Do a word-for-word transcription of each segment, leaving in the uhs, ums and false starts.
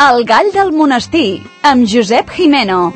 El gall del monestir, amb Josep Jimeno.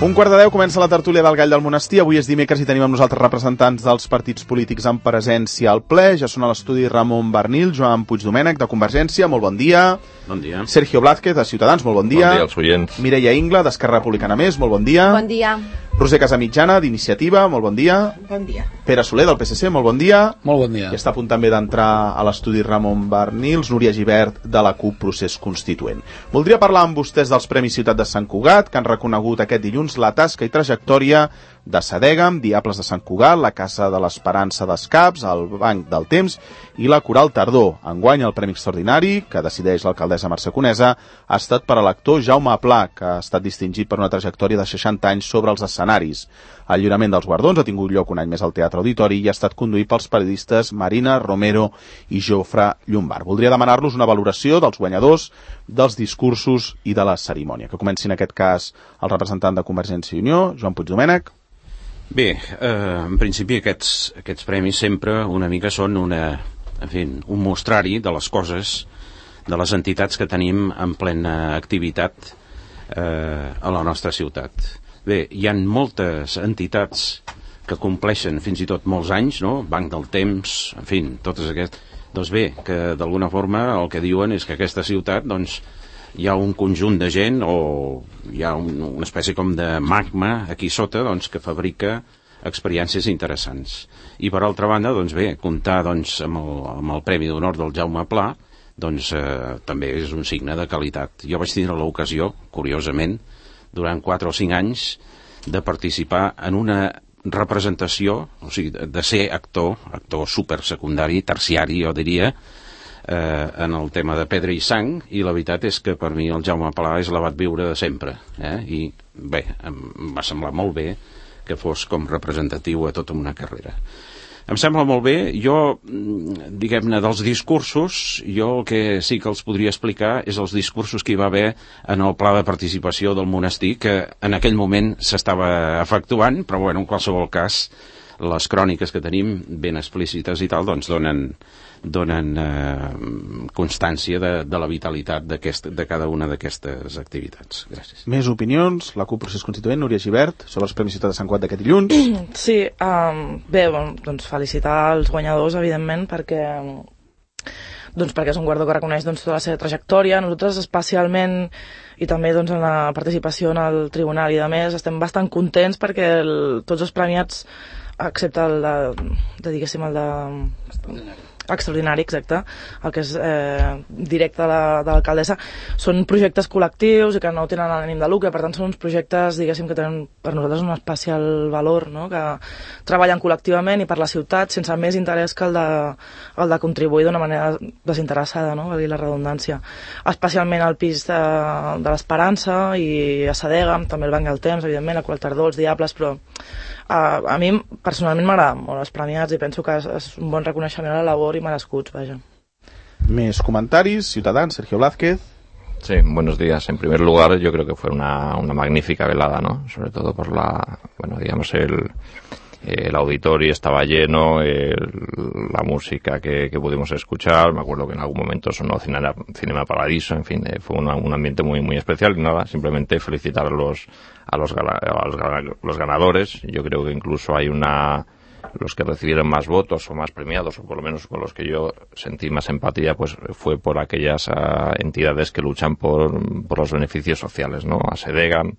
Un quart de deu comença la tertúlia del Gall del Monestir. Avui és dimecres i tenim amb nosaltres representants dels partits polítics en presència al ple. Ja són a l'estudi Ramon Barnil, Joan Puigdomènech, de Convergència, molt bon dia. Bon dia. Sergio Blázquez, de Ciutadans, molt bon dia. Bon dia als oients. Mireia Ingla, d'Esquerra Republicana Més, molt bon dia. Bon dia. Roser Casamitjana, d'Iniciativa, molt bon dia. Bon dia. Pere Soler, del P S C, molt bon dia. Molt bon dia. I està a punt també d'entrar a l'estudi Ramon Barnils, Núria Gibert, de la CUP Procés Constituent. Voldria parlar amb vostès dels Premis Ciutat de Sant Cugat, que han reconegut aquest dilluns la tasca i trajectòria de Sadegam, Diables de Sant Cugat, la Casa de l'Esperança d'Escaps, el Banc del Temps i la Coral Tardor. Enguany el Premi Extraordinari, que decideix l'alcaldessa Mercè Conesa, ha estat per a l'actor Jaume Pla, que ha estat distingit per una trajectòria de seixanta anys sobre els escenaris. El lliurament dels guardons ha tingut lloc un any més al Teatre Auditori i ha estat conduït pels periodistes Marina Romero i Jofre Llombard. Voldria demanar-los una valoració dels guanyadors, dels discursos i de la cerimònia. Que comenci en aquest cas el representant de Convergència i Unió, Joan Puigdomènech. Bé, eh, en principi aquests, aquests premis sempre una mica són una, en fi, un mostrari de les coses, de les entitats que tenim en plena activitat eh, a la nostra ciutat. Bé, hi ha moltes entitats que compleixen fins i tot molts anys, no? Banc del Temps, en fi, totes aquestes. Doncs bé, que d'alguna forma el que diuen és que aquesta ciutat, doncs, hi ha un conjunt de gent o hi ha un, una espècie com de magma aquí sota, doncs, que fabrica experiències interessants. I per altra banda, doncs bé, comptar doncs, amb, el, amb el Premi d'Honor del Jaume Pla, doncs eh, també és un signe de qualitat. Jo vaig tindre l'ocasió, curiosament, durant quatre o cinc anys, de participar en una representació, o sigui, de ser actor, actor supersecundari, terciari, jo diria, eh, en el tema de Pedra i Sang, i la veritat és que per mi el Jaume Pla és l'abat viure de sempre, eh? I bé, em va semblar molt bé que fos com representatiu a tota una carrera. Em sembla molt bé. Jo, diguem-ne, dels discursos, jo el que sí que els podria explicar és els discursos que hi va haver en el pla de participació del monestir, que en aquell moment s'estava efectuant, però bueno, en qualsevol cas, les cròniques que tenim ben explícites i tal, doncs donen, donen eh, constància de, de la vitalitat de cada una d'aquestes activitats. Gràcies. Més opinions? La CUP Procés Constituent, Núria Gibert, sobre els Premis Ciutat de Sant Cugat d'aquest dilluns. Sí, um, bé, doncs felicitar els guanyadors, evidentment, perquè doncs perquè és un guardó que reconeix doncs, tota la seva trajectòria. Nosaltres especialment, i també doncs, en la participació en el tribunal i de més, estem bastant contents perquè el, tots els premiats, excepte el de, de diguéssim, el de... Extraordinari. Extraordinari, exacte, el que és eh, directe de l'alcaldessa, són projectes col·lectius i que no tenen ànim de lucre, per tant són uns projectes, diguéssim, que tenen per nosaltres un especial valor, no? Que treballen col·lectivament i per la ciutat sense més interès que el de, el de contribuir d'una manera desinteressada, no? Valgui la redundància. Especialment el pis de, de l'Esperança i a Sadegam, també el Banc del Temps, evidentment, a Coral Tardor, els Diables, però Uh, a mi personalment m'agraden molt els premiats i penso que és, és un bon reconeixement a la labor i merescuts, vaja. Més comentaris, Ciutadans, Sergio Blázquez. Sí, buenos días. En primer lugar, yo creo que fue una, una magnífica velada, ¿no? Sobre todo por la, bueno, digamos, el, el auditorio estaba lleno, el, la música que, que pudimos escuchar, me acuerdo que en algún momento sonó Cinema, Cinema Paradiso, en fin, eh, fue una, un ambiente muy muy especial y nada, simplemente felicitar a los a los, a los, los ganadores. Yo creo que incluso hay una los que recibieron más votos o más premiados, o por lo menos con los que yo sentí más empatía, pues fue por aquellas uh, entidades que luchan por, por los beneficios sociales, ¿no? A Sadegam,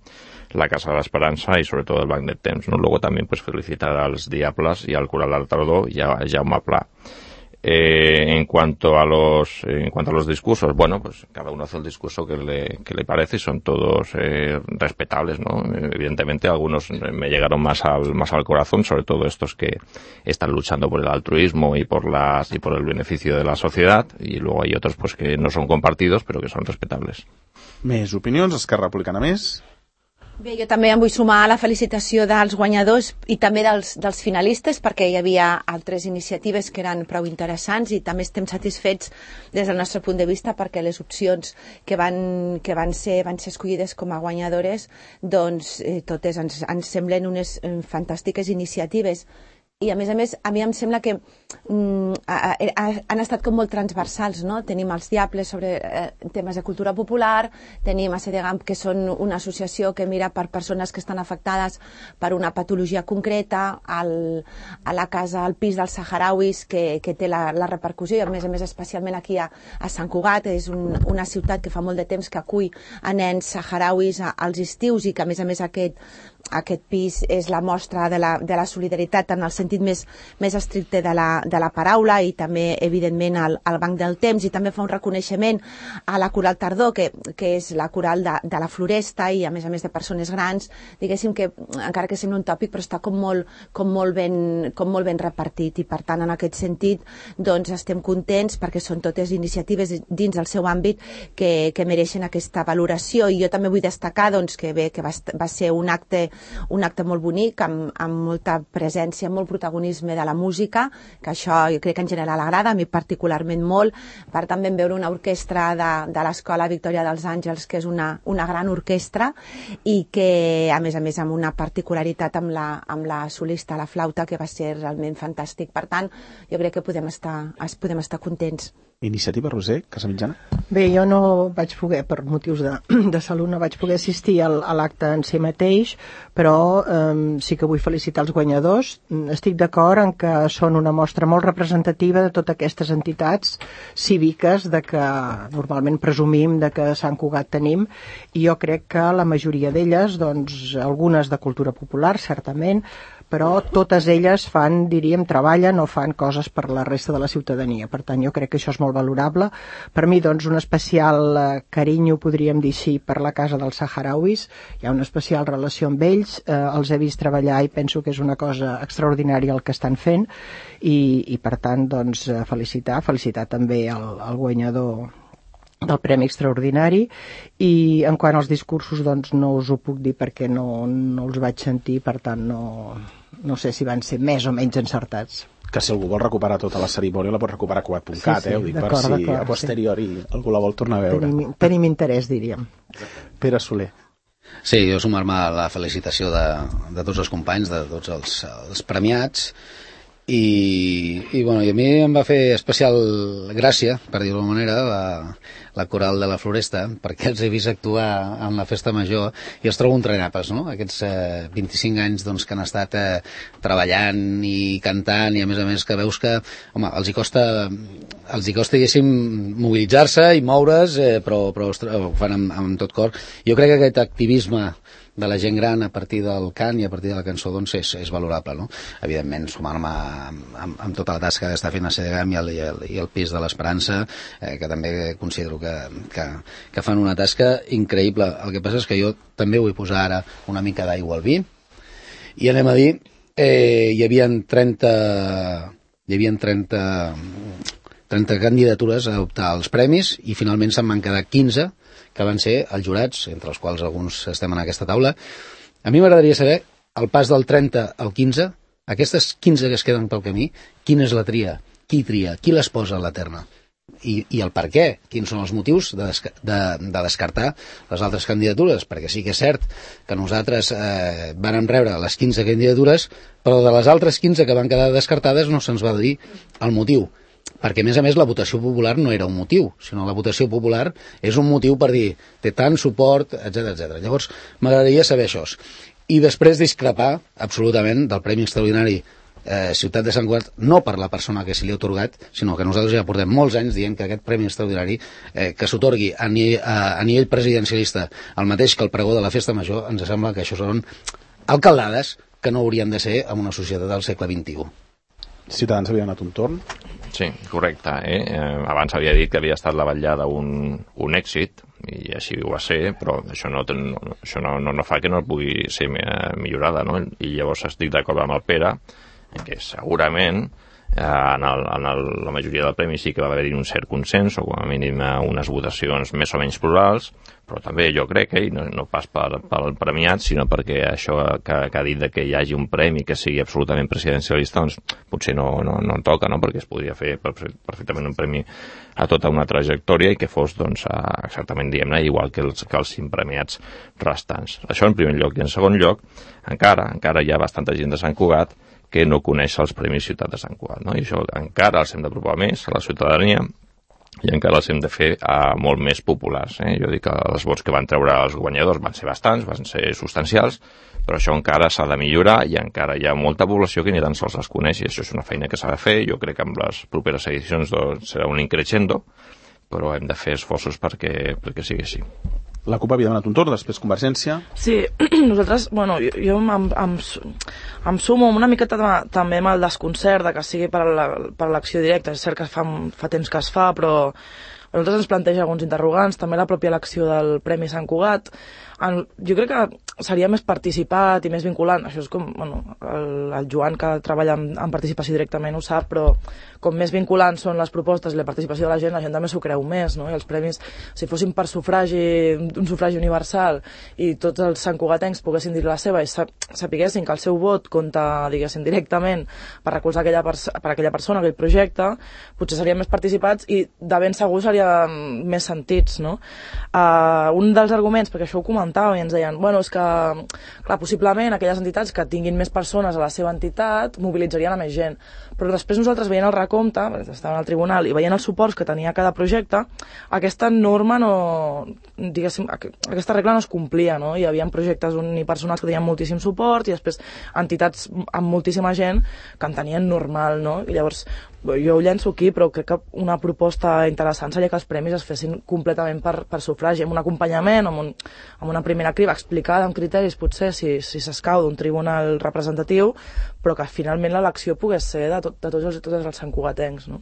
la Casa de l'Esperança i sobretot el Banc del Temps, ¿no? Luego también pues felicitar als Diables y al Coral Tardor y a Jaume Pla. Eh, en cuanto a los en cuanto a los discursos, bueno, pues cada uno hace el discurso que le, que le parece y son todos eh, respetables, ¿no? Evidentemente algunos me llegaron más al más al corazón, sobre todo estos que están luchando por el altruismo y por las y por el beneficio de la sociedad, y luego hay otros pues que no son compartidos pero que son respetables. Més opinions, Esquerra Republicana Més. Bé, jo també em vull sumar a la felicitació dels guanyadors i també dels, dels finalistes, perquè hi havia altres iniciatives que eren prou interessants i també estem satisfets des del nostre punt de vista perquè les opcions que van, que van, ser, van ser escollides com a guanyadores doncs eh, totes ens, ens semblen unes eh, fantàstiques iniciatives. i a més a més a mi em sembla que mm, a, a, han estat com molt transversals, no? Tenim els Diables sobre eh, temes de cultura popular, tenim a Sedegam, que són una associació que mira per persones que estan afectades per una patologia concreta, al, a la casa, al pis dels saharauis, que, que té la, la repercussió, i a més a més especialment aquí a, a Sant Cugat, és un, una ciutat que fa molt de temps que acull a nens saharauis a, als estius, i que a més a més aquest, aquest pis és la mostra de la, de la solidaritat en el sentit més, més estricte de la, de la paraula, i també evidentment al, al Banc del Temps, i també fa un reconeixement a la Coral Tardor, que, que és la coral de, de la Floresta, i a més a més de persones grans, diguéssim que encara que sembla un tòpic però està com molt, com molt, ben, com molt ben repartit, i per tant en aquest sentit doncs estem contents perquè són totes iniciatives dins del seu àmbit que, que mereixen aquesta valoració. I jo també vull destacar doncs, que bé, que va, va ser un acte un acte molt bonic, amb, amb molta presència, molt protagonisme de la música, que això jo crec que en general agrada, a mi particularment molt. Per tant vam veure una orquestra de, de l'Escola Victòria dels Àngels, que és una, una gran orquestra, i que a més a més amb una particularitat amb la, amb la solista a la flauta, que va ser realment fantàstic. Per tant, jo crec que podem estar, podem estar contents. Iniciativa, Roser, Casamitjana? Bé, jo no vaig poder, per motius de, de salut, no vaig poder assistir al, a l'acte en si mateix, però eh, sí que vull felicitar els guanyadors. Estic d'acord en que són una mostra molt representativa de totes aquestes entitats cíviques de que normalment presumim de que a Sant Cugat tenim, i jo crec que la majoria d'elles, doncs, algunes de cultura popular, certament, però totes elles fan, diríem, treballen o fan coses per la resta de la ciutadania. Per tant, jo crec que això és molt valorable. Per mi, doncs, un especial eh, carinyo, podríem dir així, per la casa dels saharauis. Hi ha una especial relació amb ells. Eh, els he vist treballar i penso que és una cosa extraordinària el que estan fent. I, i per tant, doncs, felicitar, felicitar també el, el guanyador del Premi Extraordinari. I en quant als discursos, doncs no us ho puc dir perquè no, no els vaig sentir, per tant no, no sé si van ser més o menys encertats. Que si algú vol recuperar tota la cerimònia la pot recuperar a cugat punt cat, sí, sí, eh? Ho dic per si a posteriori sí. Algú la vol tornar a veure. Tenim, tenim interès, diríem. Pere Soler. Sí, jo sumar-me a la felicitació de, de tots els companys, de tots els, els premiats. I, i, bueno, i a mi em va fer especial gràcia, per dir-ho d'alguna manera, la, la coral de la Floresta, perquè els he vist actuar en la festa major i els trobo entrenapes, no? Aquests eh, vint-i-cinc anys doncs, que han estat eh, treballant i cantant, i a més a més que veus que, home, els hi costa, els hi costa, diguéssim, mobilitzar-se i moure's, eh, però, però ostres, ho fan amb, amb tot cor. Jo crec que aquest activisme de la gent gran a partir del cant i a partir de la cançó doncs és, és valorable, no? Evidentment, sumar-me amb, amb, amb tota la tasca que està fent a Sedegam i el, i el, i el Pis de l'Esperança, eh, que també considero que, que, que fan una tasca increïble. El que passa és que jo també vull posar ara una mica d'aigua al vi, i anem a dir, eh, hi havia trenta hi havia trenta trenta candidatures a optar als premis, i finalment se'n van quedar quinze, que van ser els jurats, entre els quals alguns estem en aquesta taula. A mi m'agradaria saber, al pas del trenta al quinze, aquestes quinze que es queden pel camí, quina és la tria? Qui tria? Qui les posa a la terna? I, i el per què? Quins són els motius de, desca de, de descartar les altres candidatures? Perquè sí que és cert que nosaltres eh, vam rebre les quinze candidatures, però de les altres quinze que van quedar descartades no se'ns va dir el motiu. Perquè, a més a més, la votació popular no era un motiu, sinó la votació popular és un motiu per dir té tant suport, etcètera, etcètera. Llavors, m'agradaria saber això. I després discrepar absolutament del Premi Extraordinari eh, Ciutat de Sant Cugat, no per la persona que se li ha atorgat, sinó que nosaltres ja portem molts anys dient que aquest Premi Extraordinari eh, que s'otorgui a, a, a nivell presidencialista el mateix que el pregó de la Festa Major, ens sembla que això són alcaldades que no haurien de ser en una societat del segle vint-i-u. Ciutadans havia donat un torn. Sí, correcte. Eh? Eh, abans havia dit que havia estat la vetllada un, un èxit, i així ho va ser, però això no, no, això no, no, no fa que no pugui ser millorada, no? I llavors estic d'acord amb el Pere, que segurament eh, en, el, en el, la majoria del premi sí que va haver-hi un cert consens, o com a mínim unes votacions més o menys plurals, però també jo crec, eh, i no, no pas per, pel premiat, sinó perquè això que, que ha dit de que hi hagi un premi que sigui absolutament presidencialista, doncs potser no, no, no en toca, no? Perquè es podria fer perfectament un premi a tota una trajectòria i que fos doncs, exactament, diguem-ne, igual que els, que els cinc premiats restants. Això en primer lloc. I en segon lloc, encara, encara hi ha bastanta gent de Sant Cugat que no coneix els Premis Ciutat de Sant Cugat, no? I això encara els hem d'apropar més a la ciutadania i encara els hem de fer uh, molt més populars. Eh? Jo dic que els vots que van treure els guanyadors van ser bastants, van ser substancials, però això encara s'ha de millorar i encara hi ha molta població que ni tan sols les coneix, i això és una feina que s'ha de fer. Jo crec que amb les properes edicions doncs, serà un increixendo, però hem de fer esforços perquè, perquè sigui així. La CUP havia donat un torn, després Convergència. Sí, nosaltres, bueno, jo, jo em, em, em sumo una miqueta també amb el desconcert de que sigui per l'acció directa. És cert que fa, fa temps que es fa, però a nosaltres ens planteja alguns interrogants, també la pròpia elecció del Premi Sant Cugat. En, jo crec que seria més participat i més vinculant. Això és com, bueno, el, el Joan, que treballa en, en participació directament, ho sap, però com més vinculants són les propostes i la participació de la gent, la gent també s'ho creu més, no? I els premis, si fossin per sufragi, un sufragi universal, i tots els santcugatencs poguessin dir la seva i sapiguessin que el seu vot compta, diguéssim, directament per recolzar aquella, per aquella persona, aquell projecte, potser serien més participats i de ben segur serien més sentits, no? Uh, un dels arguments, perquè això ho comentava i ens deien, bueno, és que, clar, possiblement aquelles entitats que tinguin més persones a la seva entitat mobilitzarien a més gent, però després nosaltres veient el recompte, estàvem al tribunal i veient els suports que tenia cada projecte, aquesta norma no, diguéssim, aquesta regla no es complia, no? Hi havia projectes unipersonals que tenien moltíssim suport i després entitats amb moltíssima gent que en tenien normal, no? I llavors jo ho llenço aquí, però crec que una proposta interessant seria que els premis es fessin completament per, per sufragi, amb un acompanyament, amb, un, amb una primera criba explicada amb criteris, potser, si, si s'escau d'un tribunal representatiu, però que finalment l'elecció pogués ser de, tot, de tots els, tots els santcugatencs, no?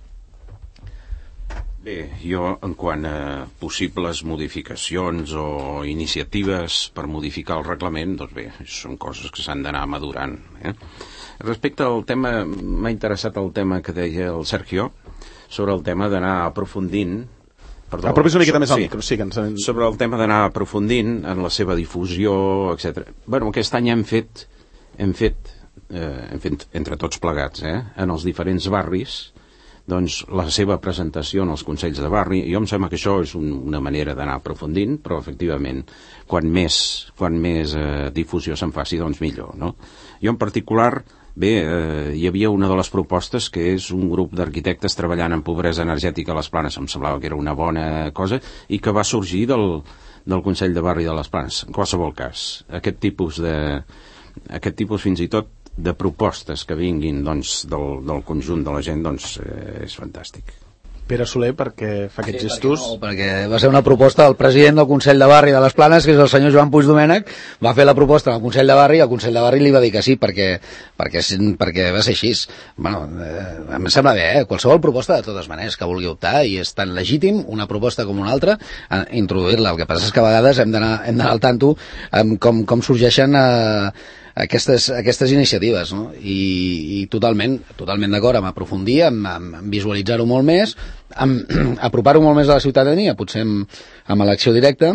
Bé, jo, en quant a possibles modificacions o iniciatives per modificar el reglament, doncs bé, són coses que s'han d'anar madurant, eh? Respecte al tema, m'ha interessat el tema que deia el Sergio, sobre el tema d'anar aprofundint... Perdó, Apropis una miqueta so, més al sí, micro, sí, que ens... sobre el tema d'anar aprofundint en la seva difusió, etcètera. Bueno, aquest any hem fet, hem fet, eh, hem fet entre tots plegats, eh, en els diferents barris, doncs la seva presentació en els consells de barri. Jo em sembla que això és un, una manera d'anar aprofundint, però efectivament quan més, quan més eh, difusió se'n faci, doncs millor, no? Jo en particular, bé, eh, hi havia una de les propostes que és un grup d'arquitectes treballant en pobresa energètica a les Planes. Em semblava que era una bona cosa i que va sorgir del, del Consell de Barri de les Planes. En qualsevol cas, aquest tipus de, aquest tipus fins i tot de propostes que vinguin doncs, del, del conjunt de la gent, doncs eh, és fantàstic. Pere Soler, perquè fa aquests sí, gestos... Perquè, no, perquè va ser una proposta del president del Consell de Barri de les Planes, que és el senyor Joan Puigdomènech, va fer la proposta al Consell de Barri i el Consell de Barri li va dir que sí, perquè, perquè, perquè va ser així. Bueno, eh, em sembla bé, eh? Qualsevol proposta de totes maneres que vulgui optar, i és tan legítim una proposta com una altra, a introduir-la. El que passa és que a vegades hem d'anar hem d'anar al tanto amb com, com sorgeixen eh, aquestes, aquestes iniciatives, no? I, i totalment, totalment d'acord amb aprofundir, amb, amb visualitzar-ho molt més, amb apropar-ho molt més a la ciutadania, potser amb, amb elecció directa,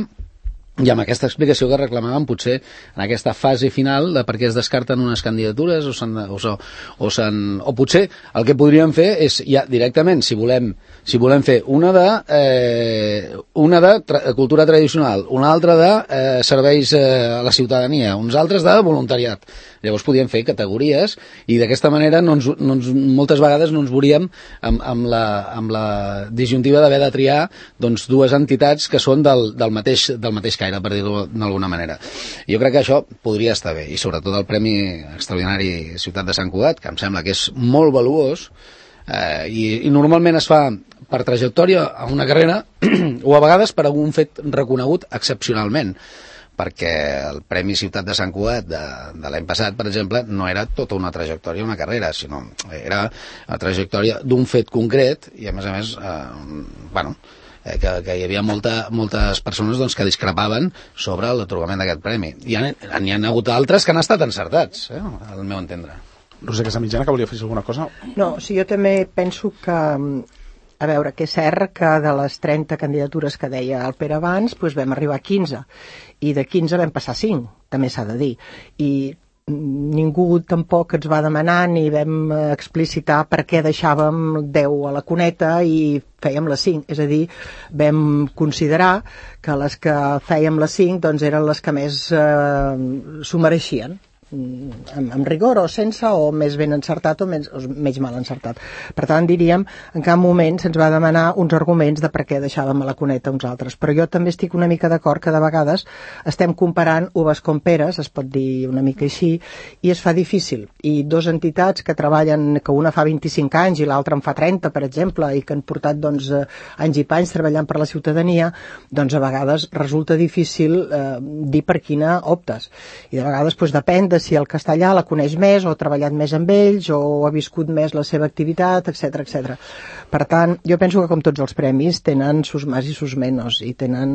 i amb aquesta explicació que reclamàvem potser en aquesta fase final de per què es descarten unes candidatures o, o, o, o potser el que podríem fer és ja directament, si volem, si volem fer una de, eh, una de tra cultura tradicional, una altra de eh, serveis eh, a la ciutadania, uns altres de voluntariat. Llavors podíem fer categories i d'aquesta manera no ens, no ens, moltes vegades no ens veuríem amb, amb, la, amb la disjuntiva d'haver de triar doncs, dues entitats que són del, del, mateix, del mateix caire, per dir-ho d'alguna manera. Jo crec que això podria estar bé, i sobretot el Premi Extraordinari Ciutat de Sant Cugat, que em sembla que és molt valuós, eh, i, i normalment es fa per trajectòria a una carrera o a vegades per algun fet reconegut excepcionalment, perquè el Premi Ciutat de Sant Cugat de, de l'any passat, per exemple, no era tota una trajectòria, una carrera, sinó era la trajectòria d'un fet concret i, a més a més, eh, bueno, eh, que, que hi havia molta, moltes persones doncs, que discrepaven sobre l'atorgament d'aquest premi. I n'hi ha hagut altres que han estat encertats, eh, al meu entendre. Roser Casamitjana, que volia fer alguna cosa? No, sí, jo també penso que... A veure, que és cert que de les trenta candidatures que deia el Pere abans, doncs vam arribar a quinze, i de quinze vam passar a cinc, també s'ha de dir. I ningú tampoc ens va demanar ni vam explicitar per què deixàvem deu a la cuneta i fèiem les cinc. És a dir, vam considerar que les que fèiem les cinc doncs, eren les que més eh, s'ho mereixien. amb, amb rigor o sense, o més ben encertat o menys, o menys mal encertat. Per tant, diríem, en cap moment se'ns va demanar uns arguments de per què deixàvem a la cuneta uns altres. Però jo també estic una mica d'acord que de vegades estem comparant uves com peres, es pot dir una mica així, i es fa difícil. I dos entitats que treballen, que una fa vint-i-cinc anys i l'altra en fa trenta, per exemple, i que han portat doncs, anys i panys treballant per la ciutadania, doncs a vegades resulta difícil eh, dir per quina optes. I de vegades doncs, depèn de si el castellà la coneix més o ha treballat més amb ells o ha viscut més la seva activitat, etcètera, etcètera. Per tant, jo penso que com tots els premis tenen sus más i sus menos i tenen...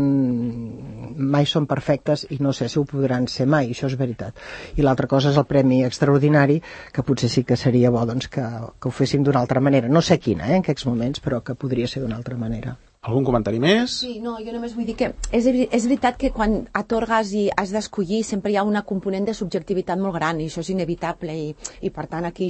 mai són perfectes i no sé si ho podran ser mai, això és veritat. I l'altra cosa és el premi extraordinari, que potser sí que seria bo doncs, que, que ho féssim d'una altra manera. No sé quina, eh, en aquests moments, però que podria ser d'una altra manera. Algun comentari més? Sí, no, jo només vull dir que és, és veritat que quan atorgues i has d'escollir sempre hi ha una component de subjectivitat molt gran i això és inevitable i, i per tant aquí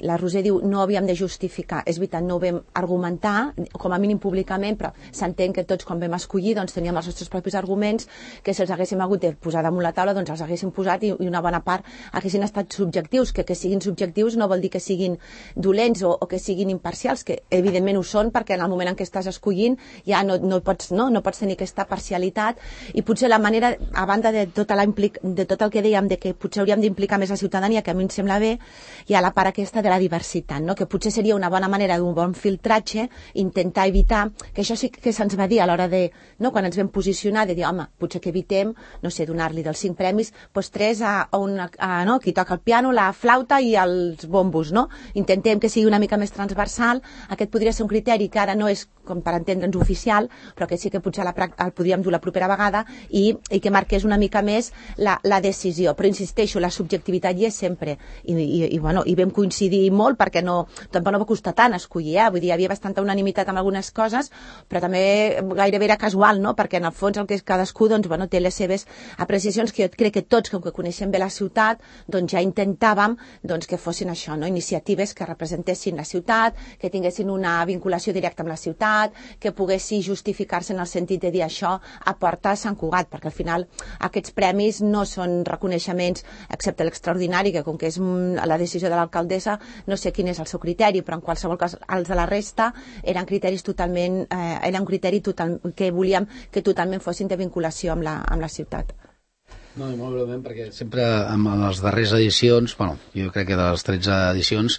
la Roser diu no havíem de justificar, és veritat, no ho vam argumentar, com a mínim públicament, però s'entén que tots quan vam escollir doncs teníem els nostres propis arguments que si els haguéssim hagut de posar damunt la taula doncs els haguéssim posat i, i una bona part haguessin estat subjectius, que que siguin subjectius no vol dir que siguin dolents o, o que siguin imparcials, que evidentment ho són perquè en el moment en què estàs escollint ja no, no, pots, no, no pots tenir aquesta parcialitat i potser la manera, a banda de tot, la implic, de tot el que dèiem de que potser hauríem d'implicar més la ciutadania, que a mi em sembla bé, hi ha la part aquesta de la diversitat, no? Que potser seria una bona manera d'un bon filtratge intentar evitar, que això sí que se'ns va dir a l'hora de, no, quan ens vam posicionar, de dir, home, potser que evitem, no sé, donar-li dels cinc premis, doncs tres a, a, una, a no, qui toca el piano, la flauta i els bombos, no? Intentem que sigui una mica més transversal, aquest podria ser un criteri que ara no és, com per entendre'ns, oficial, però que sí que potser la, el podríem dur la propera vegada i, i que marqués una mica més la, la decisió. Però insisteixo, la subjectivitat hi és sempre. I, i, i, bueno, i vam coincidir molt perquè no, tampoc no va costar tant escollir, eh? Vull dir, hi havia bastanta unanimitat amb algunes coses, però també gairebé era casual, no? Perquè en el fons el que és cadascú doncs, bueno, té les seves apreciacions que jo crec que tots, com que coneixem bé la ciutat, doncs ja intentàvem doncs, que fossin això, no? Iniciatives que representessin la ciutat, que tinguessin una vinculació directa amb la ciutat, que poguessin justificar-se en el sentit de dir això aporta a Sant Cugat, perquè al final aquests premis no són reconeixements, excepte l'extraordinari, que com que és la decisió de l'alcaldessa, no sé quin és el seu criteri, però en qualsevol cas els de la resta eren criteris totalment, eh, era un criteri total, que volíem que totalment fossin de vinculació amb la, amb la ciutat. No, i molt breument, perquè sempre en les darreres edicions, bueno, jo crec que de les tretze edicions,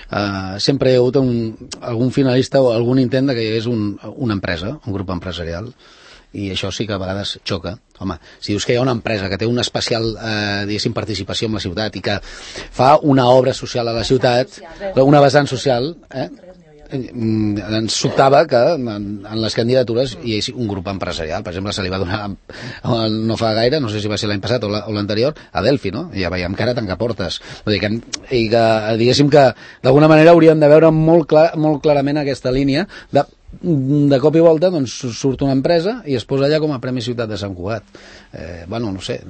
eh, sempre hi ha hagut un, algun finalista o algun intent de que hi hagués un, una empresa, un grup empresarial, i això sí que a vegades xoca. Home, si dius que hi ha una empresa que té una especial, eh, diguéssim, participació en la ciutat i que fa una obra social a la ciutat, una vessant social, eh? ens sobtava que en, en les candidatures hi hagués un grup empresarial. Per exemple, se li va donar no fa gaire, no sé si va ser l'any passat o l'anterior, a Delphi, no? I ja veiem que ara tanca portes. Vull dir que, i que diguéssim que d'alguna manera hauríem de veure molt, clar, molt clarament aquesta línia de de cop i volta doncs, surt una empresa i es posa allà com a Premi Ciutat de Sant Cugat. Eh, bueno, no sé...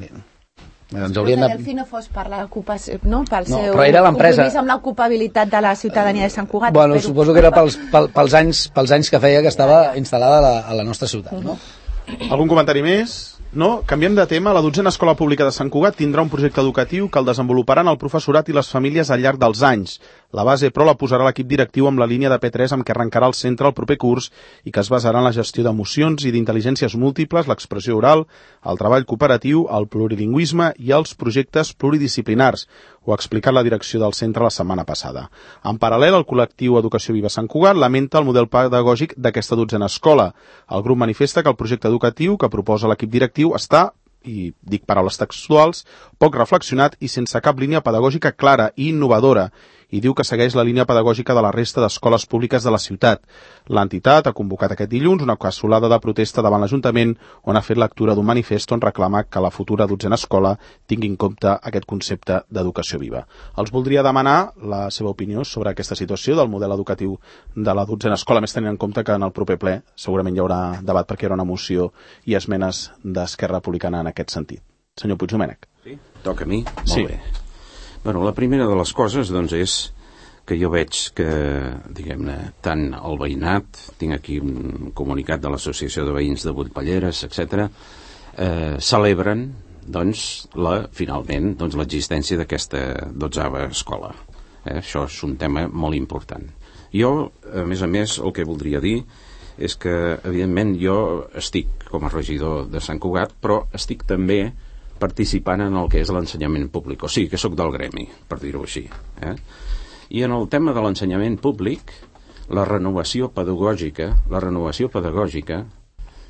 Ens hauríem de... Delphi no fos per l'ocupació, no? Pel no, seu però era l'empresa. Compromís amb l'ocupabilitat de la ciutadania de Sant Cugat. Bueno, espero. Suposo que era pels, pels, pels, anys, pels anys que feia que estava instal·lada a la, a la nostra ciutat, no? Algun comentari més? No? Canviem de tema. La dotzena Escola Pública de Sant Cugat tindrà un projecte educatiu que el desenvoluparan el professorat i les famílies al llarg dels anys. La base, però, la posarà l'equip directiu amb la línia de P tres amb què arrencarà el centre el proper curs i que es basarà en la gestió d'emocions i d'intel·ligències múltiples, l'expressió oral, el treball cooperatiu, el plurilingüisme i els projectes pluridisciplinars. Ho ha explicat la direcció del centre la setmana passada. En paral·lel, el col·lectiu Educació Viva Sant Cugat lamenta el model pedagògic d'aquesta dotzena escola. El grup manifesta que el projecte educatiu que proposa l'equip directiu està, i dic paraules textuals, poc reflexionat i sense cap línia pedagògica clara i innovadora, i diu que segueix la línia pedagògica de la resta d'escoles públiques de la ciutat. L'entitat ha convocat aquest dilluns una cassolada de protesta davant l'Ajuntament on ha fet lectura d'un manifest on reclama que la futura dotzena escola tingui en compte aquest concepte d'educació viva. Els voldria demanar la seva opinió sobre aquesta situació del model educatiu de la dotzena escola, més tenint en compte que en el proper ple segurament hi haurà debat perquè hi haurà una moció i esmenes d'Esquerra Republicana en aquest sentit. Senyor Puigdomènec. Sí, toca a mi? Molt sí. bé. Bueno, la primera de les coses doncs, és que jo veig que, diguem-ne, tant el veïnat, tinc aquí un comunicat de l'Associació de Veïns de Vuitpalleres, etcètera, eh, celebren doncs, la, finalment, doncs, l'existència d'aquesta dotzava escola. Eh? Això és un tema molt important. Jo, a més a més, el que voldria dir és que, evidentment, jo estic com a regidor de Sant Cugat, però estic també participant en el que és l'ensenyament públic. O sigui, que sóc del gremi, per dir-ho així. Eh? I en el tema de l'ensenyament públic, la renovació pedagògica, la renovació pedagògica,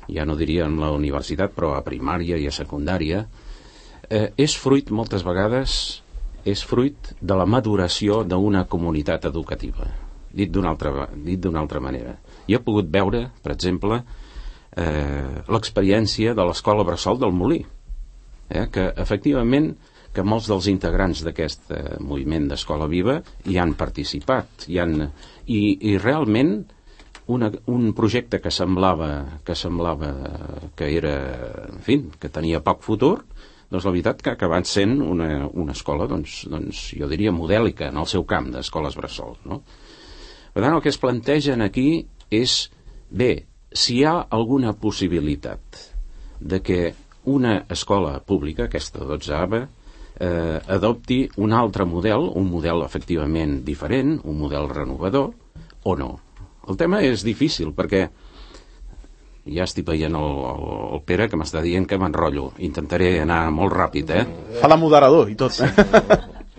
ja no diria en la universitat, però a primària i a secundària, eh, és fruit, moltes vegades, és fruit de la maduració d'una comunitat educativa. Dit d'una altra, dit d'una altra manera. Jo he pogut veure, per exemple, eh, l'experiència de l'escola Bressol del Molí, eh, que efectivament que molts dels integrants d'aquest eh, moviment d'Escola Viva hi han participat, hi han, i, i realment una, un projecte que semblava, que semblava que era, en fi, que tenia poc futur, doncs la veritat que ha acabat sent una, una escola, doncs, doncs jo diria modèlica en el seu camp d'escoles Bressol, no? Per tant, el que es plantegen aquí és, bé, si hi ha alguna possibilitat de que una escola pública, aquesta dotzava, eh, adopti un altre model, un model efectivament diferent, un model renovador, o no. El tema és difícil, perquè ja estic veient el, el, el Pere que m'està dient que m'enrotllo. Intentaré anar molt ràpid, eh? Fa de moderador i tot.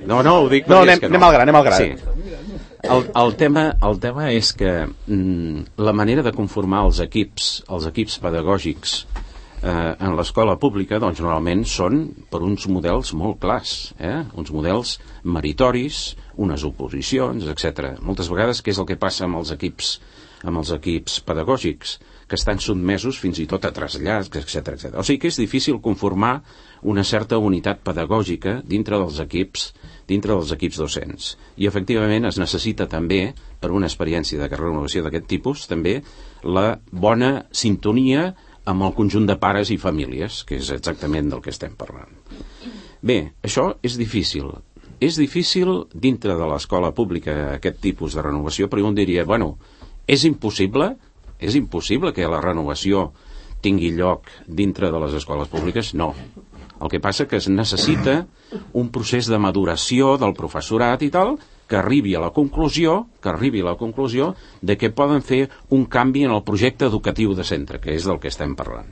No, no, ho dic no, perquè anem, és que no. anem al gra, anem al gra. Sí. El, el, tema, el tema és que mm, la manera de conformar els equips, els equips pedagògics eh, en l'escola pública, doncs normalment són per uns models molt clars, eh? Uns models meritoris, unes oposicions, etcètera. Moltes vegades, què és el que passa amb els equips, amb els equips pedagògics? Que estan sotmesos fins i tot a trasllats, etcètera, etcètera. O sigui que és difícil conformar una certa unitat pedagògica dintre dels equips, dintre dels equips docents. I efectivament es necessita també, per una experiència de renovació d'aquest tipus, també la bona sintonia amb el conjunt de pares i famílies, que és exactament del que estem parlant. Bé, això és difícil. És difícil dintre de l'escola pública aquest tipus de renovació, però jo diria, bueno, és impossible És impossible que la renovació tingui lloc dintre de les escoles públiques? No. El que passa que es necessita un procés de maduració del professorat i tal, que arribi a la conclusió, que arribi a la conclusió de que poden fer un canvi en el projecte educatiu de centre, que és del que estem parlant.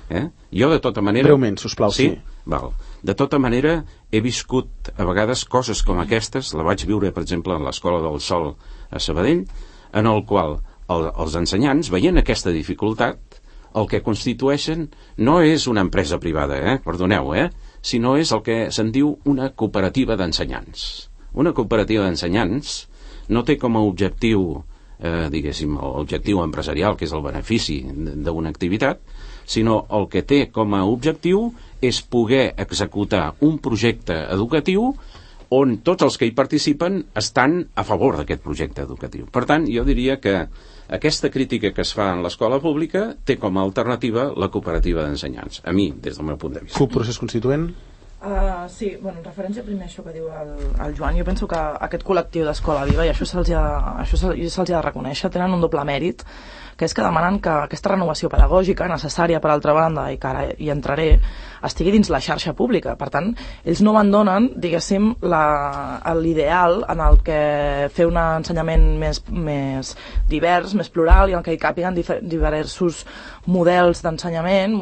Eh? Jo, de tota manera... Breument, sisplau, sí. sí. Val. De tota manera, he viscut a vegades coses com aquestes, la vaig viure, per exemple, en l'Escola del Sol a Sabadell, en el qual el, els ensenyants, veient aquesta dificultat, el que constitueixen no és una empresa privada, eh? Perdoneu, eh? sinó és el que se'n diu una cooperativa d'ensenyants. Una cooperativa d'ensenyants no té com a objectiu, eh, diguéssim, l'objectiu empresarial, que és el benefici d'una activitat, sinó el que té com a objectiu és poder executar un projecte educatiu on tots els que hi participen estan a favor d'aquest projecte educatiu. Per tant, jo diria que aquesta crítica que es fa en l'escola pública té com a alternativa la cooperativa d'ensenyants, a mi, des del meu punt de vista. C U P Procés Constituent? Uh, sí, bueno, en referència primer a això que diu el, el Joan, jo penso que aquest col·lectiu d'Escola Viva, i això se'ls ha, això se'ls ha de reconèixer, tenen un doble mèrit, que és que demanen que aquesta renovació pedagògica, necessària per altra banda, i que ara hi entraré, estigui dins la xarxa pública. Per tant, ells no abandonen, diguéssim, l'ideal en el que fer un ensenyament més, més divers, més plural, i en el que hi càpiguen diversos models d'ensenyament,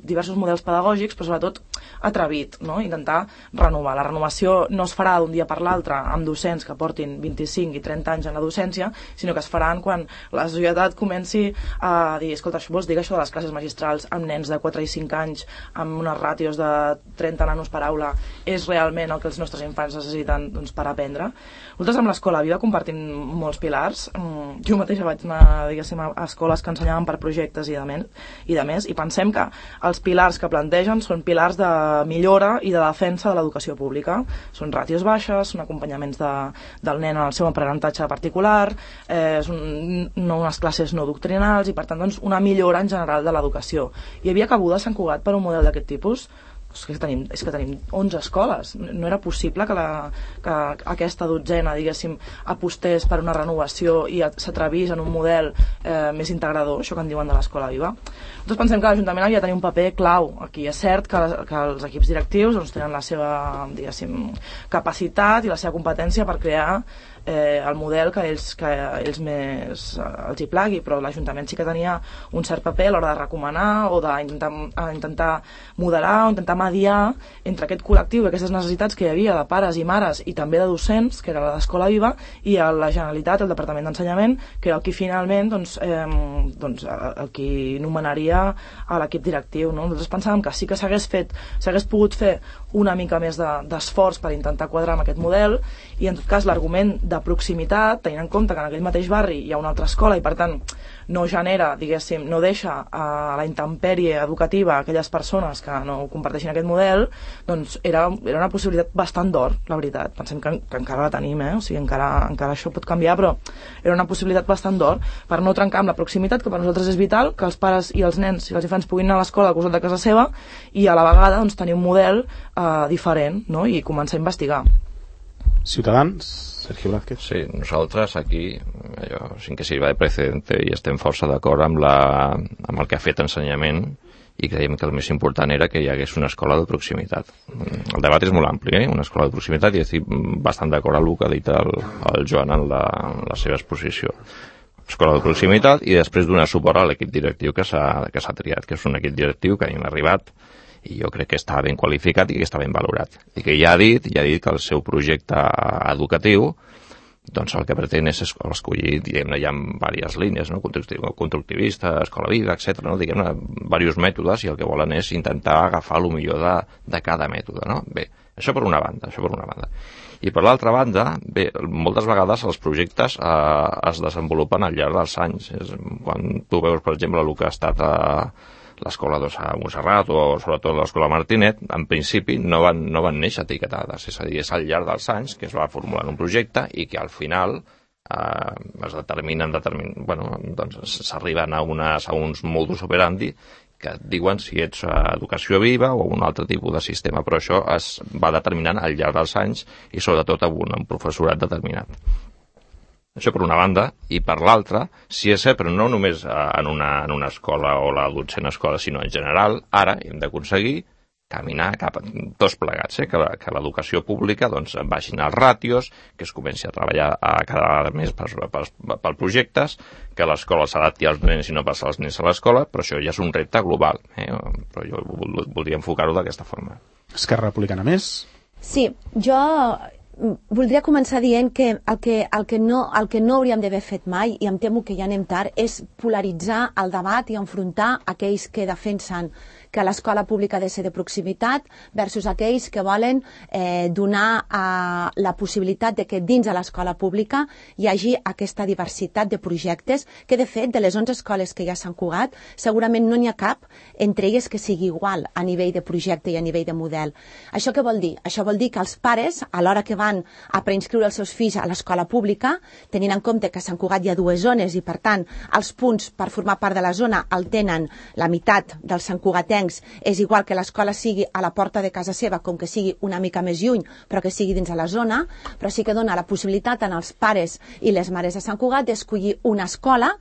diversos models pedagògics, però sobretot atrevit, no? Intentar renovar. La renovació no es farà d'un dia per l'altre amb docents que portin vint-i-cinc i trenta anys en la docència, sinó que es faran quan la societat comenci a dir, escolta, vols dir que això de les classes magistrals amb nens de quatre i cinc anys, amb unes ràtios de trenta nanos per aula, és realment el que els nostres infants necessiten, doncs, per aprendre? Nosaltres amb l'Escola Viva compartim molts pilars. Jo mateixa vaig anar, diguéssim, a escoles que ensenyaven per projectes i de, men i de més, i pensem que els pilars que plantegen són pilars de millora i de defensa de l'educació pública. Són ràtios baixes, són acompanyaments de, del nen en el seu aprenentatge particular, eh, són no unes classes no doctrinals i, per tant, doncs, una millora en general de l'educació. Hi havia cabuda a Sant Cugat per un model d'aquest tipus? és que tenim, és que tenim onze escoles, no era possible que, la, que aquesta dotzena, diguéssim, apostés per una renovació i s'atrevís en un model eh, més integrador, això que en diuen de l'Escola Viva. Nosaltres pensem que l'Ajuntament havia de tenir un paper clau aquí. És cert que, que els equips directius doncs, tenen la seva, diguéssim, capacitat i la seva competència per crear eh, el model que ells, que ells més eh, els hi plagui, però l'Ajuntament sí que tenia un cert paper a l'hora de recomanar o d'intentar intentar modelar o intentar mediar entre aquest col·lectiu i aquestes necessitats que hi havia de pares i mares i també de docents, que era la d'Escola Viva, i a la Generalitat, el Departament d'Ensenyament, que era el qui finalment doncs, eh, doncs, el qui nomenaria a l'equip directiu. No? Nosaltres pensàvem que sí que s'hagués fet, s'hagués pogut fer una mica més d'esforç de, per intentar quadrar amb aquest model, i en tot cas l'argument de proximitat, tenint en compte que en aquell mateix barri hi ha una altra escola i per tant no genera, diguéssim, no deixa a la intempèrie educativa a aquelles persones que no comparteixin aquest model, doncs era, era una possibilitat bastant d'or, la veritat. Pensem que, que encara la tenim, eh? O sigui, encara, encara això pot canviar, però era una possibilitat bastant d'or per no trencar amb la proximitat, que per nosaltres és vital, que els pares i els nens i els infants puguin anar a l'escola al costat de casa seva i a la vegada doncs, tenir un model eh, diferent, no? I començar a investigar. Ciutadans, Sergio Blázquez. Sí, nosaltres aquí, allò, sin que sirva de precedente, i estem força d'acord amb, la, amb el que ha fet ensenyament, i creiem que el més important era que hi hagués una escola de proximitat. El debat és molt ampli, eh? Una escola de proximitat, i estic bastant d'acord amb el que ha dit el, el Joan en la, en la seva exposició. Escola de proximitat, i després donar suport a l'equip directiu que s'ha que s'ha triat, que és un equip directiu que han arribat i jo crec que està ben qualificat i que està ben valorat. I que ja ha dit, ja ha dit que el seu projecte educatiu doncs el que pretén és escollir, diguem-ne, hi ha diverses línies, no? Constructivista, escola viva, etcètera, no? Diguem-ne, diversos mètodes, i el que volen és intentar agafar el millor de, de cada mètode, no? Bé, això per una banda, això per una banda. I per l'altra banda, bé, moltes vegades els projectes eh, es desenvolupen al llarg dels anys. És, quan tu veus, per exemple, el que ha estat a l'escola de Montserrat o sobretot l'escola Martinet, en principi no van, no van néixer etiquetades, és a dir, és al llarg dels anys que es va formulant un projecte i que al final eh, es determinen, determin, bueno, doncs s'arriben a, unes, a uns modus operandi que et diuen si ets educació viva o un altre tipus de sistema, però això es va determinant al llarg dels anys i sobretot amb un professorat determinat. Això per una banda, i per l'altra, si és cert, però no només en una, en una escola o la dotzena escola, sinó en general, ara hem d'aconseguir caminar cap a tots plegats, eh? que, que l'educació pública doncs, baixin els ràtios, que es comenci a treballar a cada vegada més per, per, per projectes, que l'escola s'adapti als nens i no passar els nens a l'escola, però això ja és un repte global, eh? Però jo voldria enfocar-ho d'aquesta forma. Esquerra Republicana més? Sí, jo voldria començar dient que el que, el que, no, el que no hauríem d'haver fet mai, i em temo que ja anem tard, és polaritzar el debat i enfrontar aquells que defensen que l'escola pública ha de ser de proximitat versus aquells que volen eh, donar eh, la possibilitat de que dins de l'escola pública hi hagi aquesta diversitat de projectes que, de fet, de les onze escoles que hi ha a Sant Cugat, segurament no n'hi ha cap entre elles que sigui igual a nivell de projecte i a nivell de model. Això què vol dir? Això vol dir que els pares, a l'hora que van a preinscriure els seus fills a l'escola pública, tenint en compte que a Sant Cugat hi ha dues zones i, per tant, els punts per formar part de la zona el tenen la meitat dels santcugatencs, és igual que l'escola sigui a la porta de casa seva com que sigui una mica més lluny, però que sigui dins de la zona, però sí que dona la possibilitat als pares i les mares de Sant Cugat d'escollir una escola